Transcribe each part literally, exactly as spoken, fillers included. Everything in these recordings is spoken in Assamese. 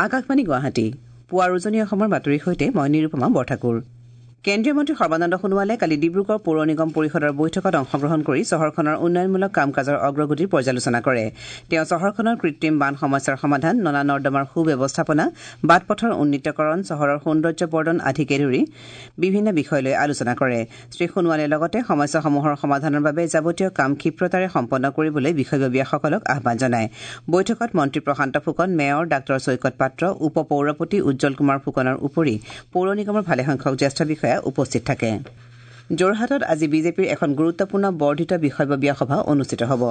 আকাশবাণী গুৱাহাটী পুৱাৰ উজনি অসমৰ বাতৰিৰ সৈতে মই নিৰুপমা বৰঠাকুৰ। কেন্দ্ৰীয় মন্ত্ৰী সৰ্বানন্দ সোণোৱালে কালি ডিব্ৰুগড় পৌৰ নিগম পৰিষদৰ বৈঠকত অংশগ্ৰহণ কৰি চহৰখনৰ উন্নয়নমূলক কাম কাজৰ অগ্ৰগতিৰ পৰ্যালোচনা কৰে। তেওঁ চহৰখনৰ কৃত্ৰিম বান সমস্যাৰ সমাধান, নলা নৰ্দমাৰ সুব্যৱস্থাপনা, বাট পথৰ উন্নীতকৰণ, চহৰৰ সৌন্দৰ্যবৰ্ধন আদিকে ধৰি বিভিন্ন বিষয় লৈ আলোচনা কৰে। শ্ৰীসোণোৱালে লগতে সমস্যাসমূহৰ সমাধানৰ বাবে যাৱতীয় কাম ক্ষিপ্ৰতাৰে সম্পন্ন কৰিবলৈ বিষয়ববীয়াসকলক আহ্বান জনায়। বৈঠকত মন্ত্ৰী প্ৰশান্ত ফুকন, মেয়ৰ ডাঃ চৈকত পাত্ৰ, উপ পৌৰপতি উজ্জ্বল কুমাৰ ফুকনৰ উপৰি পৌৰ নিগমৰ ভালেসংখ্যক জ্যেষ্ঠ বিষয়া উপস্থিত থাকে। যোৰহাটত আজি বিজেপিৰ এখন গুৰুত্বপূৰ্ণ বৰ্ধিত বিষয়ববীয়া সভা অনুষ্ঠিত হ'ব।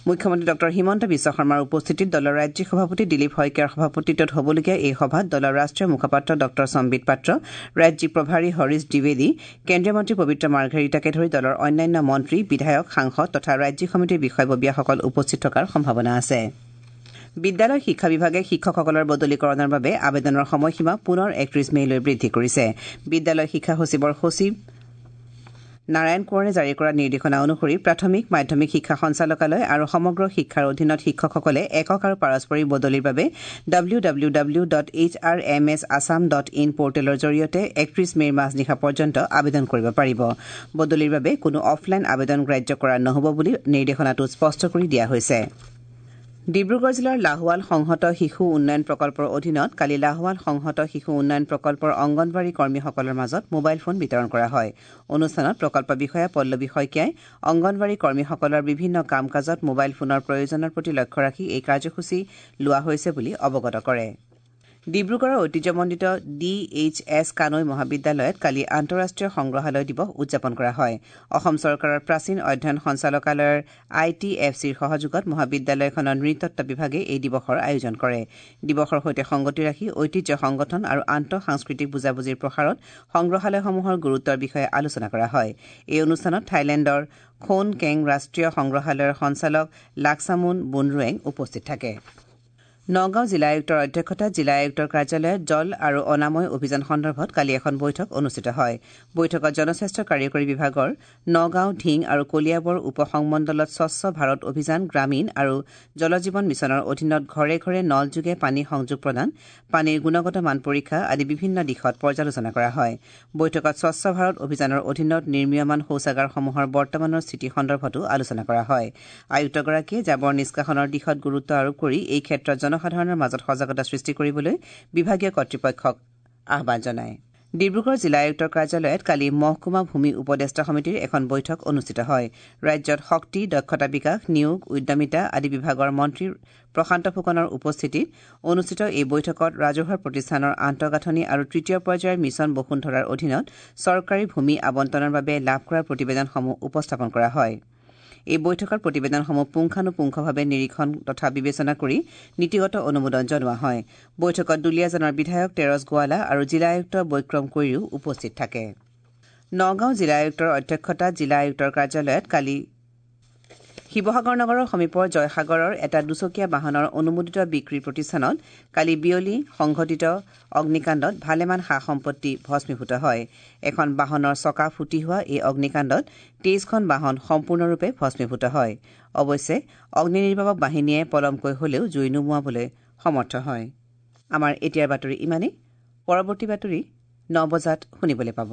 মুখ্যমন্ত্ৰী ডঃ হিমন্ত বিশ্ব শৰ্মাৰ উপস্থিতিত দলৰ ৰাজ্যিক সভাপতি দিলীপ শইকীয়াৰ সভাপতিত্বত হ'বলগীয়া এই সভাত দলৰ ৰাষ্ট্ৰীয় মুখপাত্ৰ ডঃ সম্বিত পাত্ৰ, ৰাজ্যিক প্ৰভাৰী হৰিশ দ্বিবেদী, কেন্দ্ৰীয় মন্ত্ৰী পবিত্ৰ মাৰ্ঘেৰিটাকে ধৰি দলৰ অন্যান্য মন্ত্ৰী, বিধায়ক, সাংসদ তথা ৰাজ্যিক সমিতিৰ বিষয়ববীয়াসকল উপস্থিত থকাৰ সম্ভাৱনা আছে। বিদ্যালয় শিক্ষা বিভাগে শিক্ষকসকলৰ বদলিকৰণৰ বাবে আবেদনৰ সময়সীমা পুনৰ একত্ৰিশ মে'লৈ বৃদ্ধি কৰিছে। বিদ্যালয় শিক্ষা সচিবৰ সচিব নাৰায়ণ কোঁৱৰে জাৰি কৰা নিৰ্দেশনা অনুসৰি প্ৰাথমিক, মাধ্যমিক শিক্ষা সঞ্চালকালয় আৰু সমগ্ৰ শিক্ষাৰ অধীনত শিক্ষকসকলে একক আৰু পাৰস্পৰিক বদলিৰ বাবে W W W dot H R M S Assam dot in পৰ্টেলৰ জৰিয়তে একত্ৰিশ মে'ৰ মাজনিশা পৰ্যন্ত আবেদন কৰিব পাৰিব। বদলিৰ বাবে কোনো অফলাইন আবেদন গ্ৰাহ্য কৰা নহ'ব বুলি নিৰ্দেশনাটোত স্পষ্ট কৰি দিয়া হৈছে। ডিব্ৰুগড় জিলাৰ লাহোৱাল সংহত শিশু উন্নয়ন প্ৰকল্পৰ অধীনত কালি লাহোৱাল সংহত শিশু উন্নয়ন প্ৰকল্পৰ অংগনবাড়ী কৰ্মীসকলৰ মাজত মোবাইল ফোন বিতৰণ কৰা হয়। অনুষ্ঠানত প্ৰকল্প বিষয়া পল্লৱী শইকীয়াই অংগনবাড়ী কৰ্মীসকলৰ বিভিন্ন কাম কাজত মোবাইল ফোনৰ প্ৰয়োজনৰ প্ৰতি লক্ষ্য ৰাখি এই কাৰ্যসূচী লোৱা হৈছে বুলি অৱগত কৰে। ডিব্ৰুগড়ৰ ঐতিহ্যমণ্ডিত ডি এইচ এছ কানৈ মহাবিদ্যালয়ত কালি আন্তঃৰাষ্ট্ৰীয় সংগ্ৰহালয় দিৱস উদযাপন কৰা হয়। অসম চৰকাৰৰ প্ৰাচীন অধ্যয়ন সঞ্চালকালয়ৰ I T F চিৰ সহযোগত মহাবিদ্যালয়খনৰ নৃতত্ব বিভাগে এই দিৱসৰ আয়োজন কৰে। দিৱসৰ সৈতে সংগতি ৰাখি ঐতিহ্য সংগঠন আৰু আন্তঃসাংস্কৃতিক বুজাবুজিৰ প্ৰসাৰত সংগ্ৰহালয়সমূহৰ গুৰুত্বৰ বিষয়ে আলোচনা কৰা হয়। এই অনুষ্ঠানত থাইলেণ্ডৰ খোন কেং ৰাষ্ট্ৰীয় সংগ্ৰহালয়ৰ সঞ্চালক লাকছামুন বুনৰুৱেং উপস্থিত থাকে। নগাঁও জিলা আয়ুক্তৰ অধ্যক্ষতাত জিলা আয়ুক্তৰ কাৰ্যালয়ত জল আৰু অনাময় অভিযান সন্দৰ্ভত কালি এখন বৈঠক অনুষ্ঠিত হয়। বৈঠকত জনস্বাস্থ্য কাৰিকৰী বিভাগৰ নগাঁও, ঢিং আৰু কলিয়াবৰ উপ সংমণ্ডলত স্বচ্ছ ভাৰত অভিযান গ্ৰামীণ আৰু জল জীৱন মিছনৰ অধীনত ঘৰে ঘৰে নলযোগে পানী সংযোগ প্ৰদান, পানীৰ গুণগত মান পৰীক্ষা আদি বিভিন্ন দিশত পৰ্যালোচনা কৰা হয়। বৈঠকত স্বচ্ছ ভাৰত অভিযানৰ অধীনত নিৰ্মীয়মান শৌচাগাৰসমূহৰ বৰ্তমানৰ স্থিতি সন্দৰ্ভতো আলোচনা কৰা হয়। আয়ুক্তগৰাকীয়ে জাবৰ নিষ্কাশনৰ দিশত গুৰুত্ব আৰোপ কৰি এই ক্ষেত্ৰত জনসাধাৰণৰ মাজত সজাগতা সৃষ্টি কৰিবলৈ বিভাগীয় কৰ্তৃপক্ষক আহ্বান জনায়। ডিব্ৰুগড় জিলা আয়ুক্তৰ কাৰ্যালয়ত কালি মহকুমা ভূমি উপদেষ্টা সমিতিৰ এখন বৈঠক অনুষ্ঠিত হয়। ৰাজ্যত শক্তি, দক্ষতা বিকাশ, নিয়োগ, উদ্যমিতা আদি বিভাগৰ মন্ত্ৰী প্ৰশান্ত ফুকনৰ উপস্থিতিত অনুষ্ঠিত এই বৈঠকত ৰাজহুৱা প্ৰতিষ্ঠানৰ আন্তঃগাঁথনি আৰু তৃতীয় পৰ্যায়ৰ মিছন বসুন্ধৰাৰ অধীনত চৰকাৰী ভূমি আবণ্টনৰ বাবে লাভ কৰা প্ৰতিবেদনসমূহ উপস্থাপন কৰা হয়। এই বৈঠকত প্ৰতিবেদনসমূহ পুংখানুপুংখভাৱে নিৰীক্ষণ তথা বিবেচনা কৰি নীতিগত অনুমোদন জনোৱা হয়। বৈঠকত দুলীয়াজানৰ বিধায়ক তেৰছ গোৱালা আৰু জিলা আয়ুক্ত বৈক্ৰম কৈৰীও উপস্থিত থাকে। নগাঁও জিলা আয়ুক্তৰ অধ্যক্ষতাত জিলা আয়ুক্তৰ কাৰ্যালয়ত কালি শিৱসাগৰ নগৰৰ সমীপৰ জয়সাগৰৰ এটা দুচকীয়া বাহনৰ অনুমোদিত বিক্ৰী প্ৰতিষ্ঠানত কালি বিয়লি সংঘটিত অগ্নিকাণ্ডত ভালেমান সা সম্পত্তি ভস্মীভূত হয়। এখন বাহনৰ চকা ফুটি হোৱা এই অগ্নিকাণ্ডত তেইছখন বাহন সম্পূৰ্ণৰূপে ভস্মীভূত হয়। অৱশ্যে অগ্নি নিৰ্বাপক বাহিনীয়ে পলমকৈ হলেও জুই নুমুৱাবলৈ সমৰ্থ হয়। আমাৰ এতিয়াৰ বাতৰি ইমানেই। পৰৱৰ্তী বাতৰি ন বজাত শুনিবলৈ পাব।